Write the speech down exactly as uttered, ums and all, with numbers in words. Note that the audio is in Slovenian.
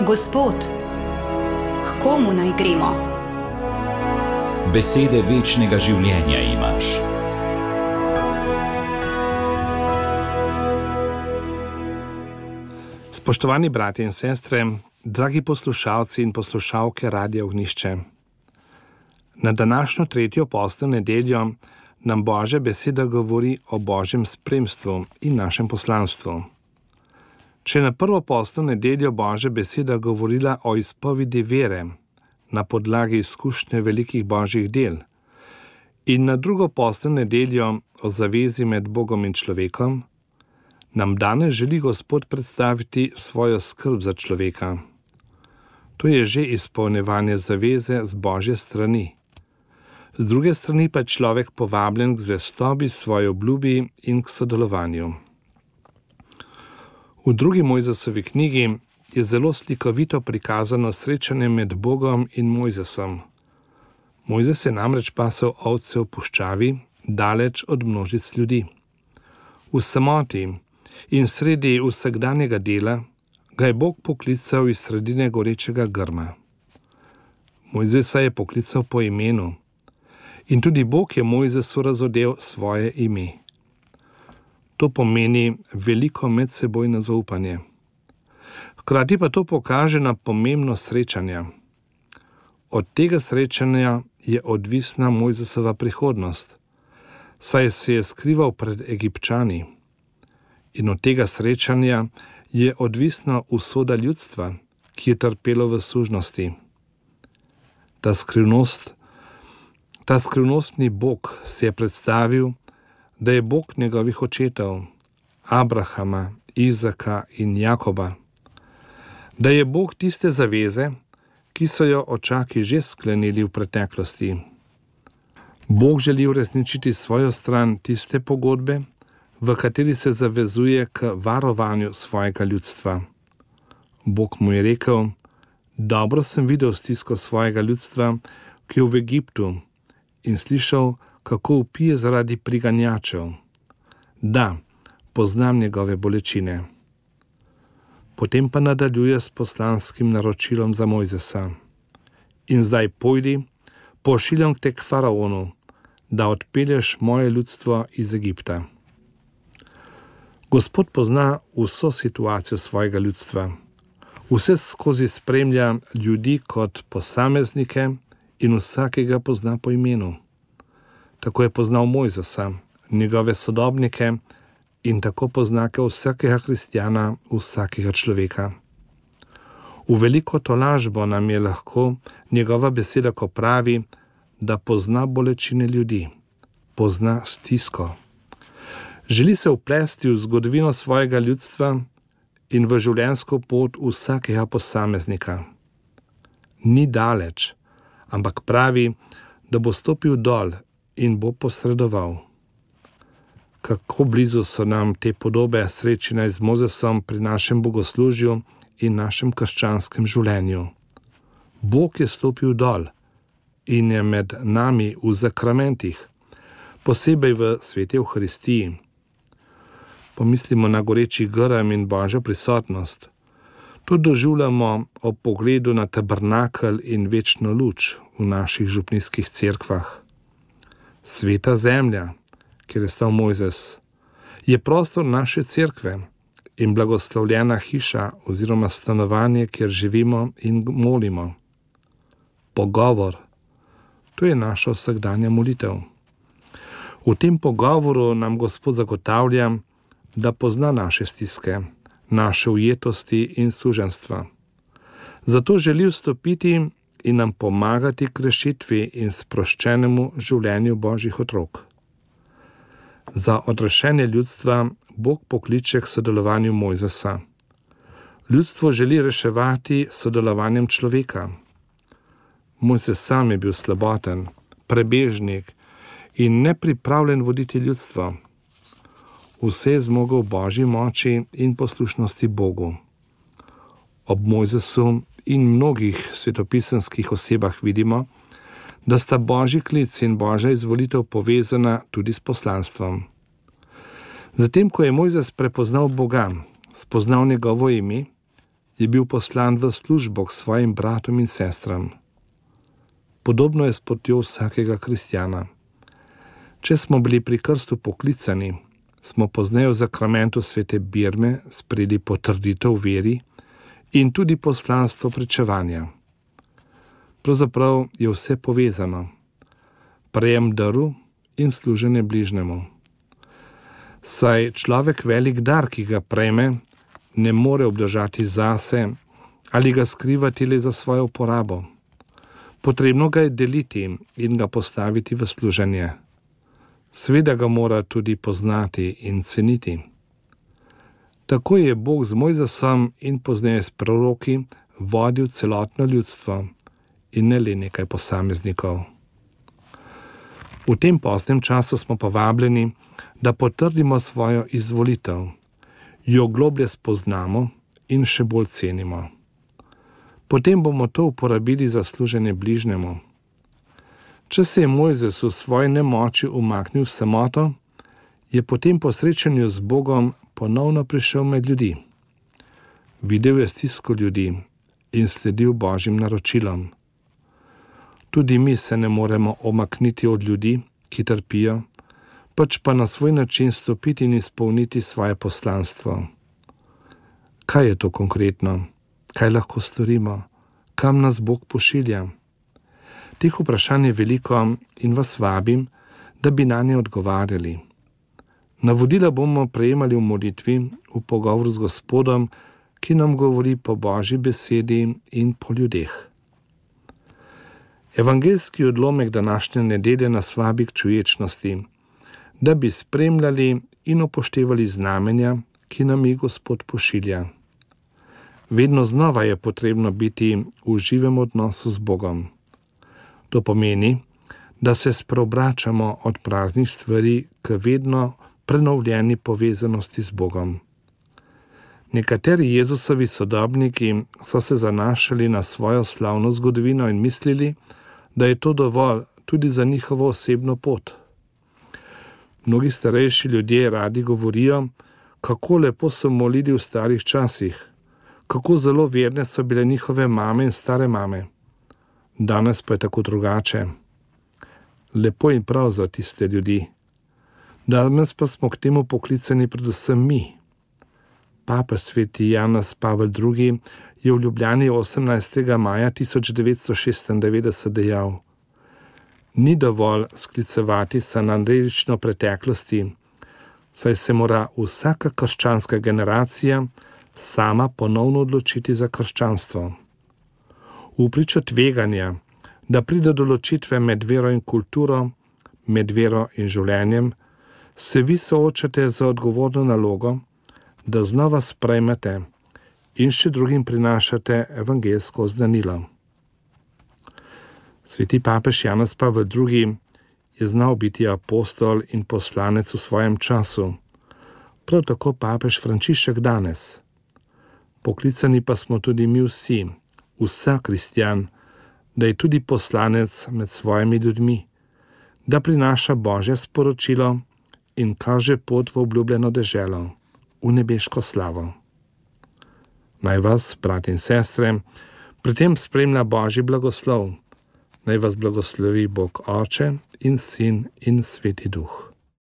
Gospod, k komu naj gremo? Besede večnega življenja imaš. Spoštovani bratje in sestre, dragi poslušalci in poslušalke Radia Ognjišče. Na današnjo tretjo postno nedeljo nam Božja beseda govori o Božjem spremstvu in našem poslanstvu. Če na prvo postno nedeljo Božja beseda govorila o izpovedi vere na podlagi izkušnje velikih Božjih del in na drugo postno nedeljo o zavezi med Bogom in človekom, nam danes želi Gospod predstaviti svojo skrb za človeka. To je že izpolnjevanje zaveze z Božje strani. Z druge strani pa je človek povabljen k zvestobi svoji obljubi in k sodelovanju. V drugi Mojzesovi knjigi je zelo slikovito prikazano srečanje med Bogom in Mojzesom. Mojzes je namreč pasel ovce v puščavi, daleč od množic ljudi. V samoti in sredi vsakdanjega dela ga je Bog poklical iz sredine gorečega grma. Mojzesa je poklical po imenu in tudi Bog je Mojzesu razodel svoje ime. To pomeni veliko medsebojno zaupanje. Hkrati pa to pokaže na pomembnost srečanja. Od tega srečanja je odvisna Mojzesova prihodnost, saj se je skrival pred Egipčani. In od tega srečanja je odvisna usoda ljudstva, ki je trpelo v sužnosti. Ta skrivnost, ta skrivnostni Bog se je predstavil, da je Bog njegovih očetov, Abrahama, Izaka in Jakoba. Da je Bog tiste zaveze, ki so jo očaki že sklenili v preteklosti. Bog želi uresničiti svojo stran tiste pogodbe, v kateri se zavezuje k varovanju svojega ljudstva. Bog mu je rekel: dobro sem videl stisko svojega ljudstva, ki je v Egiptu, in slišal, kako vpije zaradi priganjačev. Da, poznam njegove bolečine. Potem pa nadaljuje s poslanskim naročilom za Mojzesa. In zdaj pojdi, pošiljam te k faraonu, da odpelješ moje ljudstvo iz Egipta. Gospod pozna vso situacijo svojega ljudstva. Vse skozi spremlja ljudi kot posameznike in vsakega pozna po imenu. Tako je poznal Mojzesa, njegove sodobnike in tako poznake vsakega kristjana, vsakega človeka. V veliko tolažbo nam je lahko njegova beseda, ko pravi, da pozna bolečine ljudi, pozna stisko. Želi se vplesti v zgodovino svojega ljudstva in v življenjsko pot vsakega posameznika. Ni daleč, ampak pravi, da bo stopil dol in bo posredoval. Kako blizu so nam te podobe srečanja z Mojzesom pri našem bogoslužju in našem krščanskem življenju. Bog je stopil dol in je med nami v zakramentih, posebej v sveti Evharistiji. Pomislimo na goreči grm in Božjo prisotnost. To doživljamo ob pogledu na tabernakelj in večno luč v naših župnijskih cerkvah. Sveta zemlja, kjer je stal Mojzes, je prostor naše cerkve in blagoslovljena hiša oziroma stanovanje, kjer živimo in molimo. Pogovor, to je naša vsakdanja molitev. V tem pogovoru nam Gospod zagotavlja, da pozna naše stiske, naše ujetosti in suženstva. Zato želi vstopiti in nam pomagati k rešitvi in sproščenemu življenju Božjih otrok. Za odrešenje ljudstva Bog pokliče k sodelovanju Mojzesa. Ljudstvo želi reševati s sodelovanjem človeka. Mojzes sam je bil slaboten, prebežnik in nepripravljen voditi ljudstvo. Vse je zmogel Božji moči in poslušnosti Bogu. Ob Mojzesu in mnogih svetopisemskih osebah vidimo, da sta Božji klic in Božja izvolitev povezana tudi s poslanstvom. Zatem, ko je Mojzes prepoznal Boga, spoznal njegovo ime, je bil poslan v službo k svojim bratom in sestram. Podobno je s potjo vsakega kristjana. Če smo bili pri krstu poklicani, smo pozneje v zakramentu svete birme sprejeli potrditev veri in tudi poslanstvo pričevanja. Pravzaprav je vse povezano. Prejem daru in služenje bližnjemu. Saj človek velik dar, ki ga prejme, ne more obdržati zase ali ga skrivati le za svojo uporabo. Potrebno ga je deliti in ga postaviti v služenje. Seveda ga mora tudi poznati in ceniti. Tako je Bog z Mojzesom in pozneje s proroki vodil celotno ljudstvo in ne le nekaj posameznikov. V tem postnem času smo povabljeni, da potrdimo svojo izvolitev, jo globlje spoznamo in še bolj cenimo. Potem bomo to uporabili za služenje bližnjemu. Če se je Mojzes v svoji nemoči umaknil v samoto, je potem po srečanju z Bogom ponovno prišel med ljudi. Videl je stisko ljudi in sledil Božjim naročilom. Tudi mi se ne moremo omakniti od ljudi, ki trpijo, pač pa na svoj način stopiti in izpolniti svoje poslanstvo. Kaj je to konkretno? Kaj lahko storimo? Kam nas Bog pošilja? Teh vprašanj je veliko in vas vabim, da bi nanje odgovarjali. Navodila bomo prejemali v molitvi, v pogovoru z Gospodom, ki nam govori po Božji besedi in po ljudeh. Evangeljski odlomek današnje nedelje nas vabi k čuječnosti, da bi spremljali in upoštevali znamenja, ki nam jih Gospod pošilja. Vedno znova je potrebno biti v živem odnosu z Bogom. To pomeni, da se spreobračamo od praznih stvari k vedno prenovljeni povezanosti z Bogom. Nekateri Jezusovi sodobniki so se zanašali na svojo slavno zgodovino in mislili, da je to dovolj tudi za njihovo osebno pot. Mnogi starejši ljudje radi govorijo, kako lepo so molili v starih časih, kako zelo verne so bile njihove mame in stare mame. Danes pa je tako drugače. Lepo in prav za tiste ljudi. Danes pa smo k temu poklicani predvsem mi. Papež sveti Janez Pavel drugi je v Ljubljani osemnajstega maja tisoč devetsto šestindevetdeset dejal: Ni dovolj sklicevati se na dedično preteklosti, saj se mora vsaka krščanska generacija sama ponovno odločiti za krščanstvo. V pričo tveganja, da pride do ločitve med vero in kulturo, med vero in življenjem, se vi soočate z odgovorno nalogo, da znova sprejmete in še drugim prinašate evangeljsko oznanilo. Sveti papež Janez Pavel drugi je znal biti apostol in poslanec v svojem času, prav tako papež Frančišek danes. Poklicani pa smo tudi mi vsi, vsak kristjan, da je tudi poslanec med svojimi ljudmi, da prinaša Božje sporočilo in kaže pot v obljubljeno deželo, v nebeško slavo. Naj vas, brat in sestre, pri tem spremlja Božji blagoslov. Naj vas blagoslovi Bog Oče in Sin in Sveti Duh.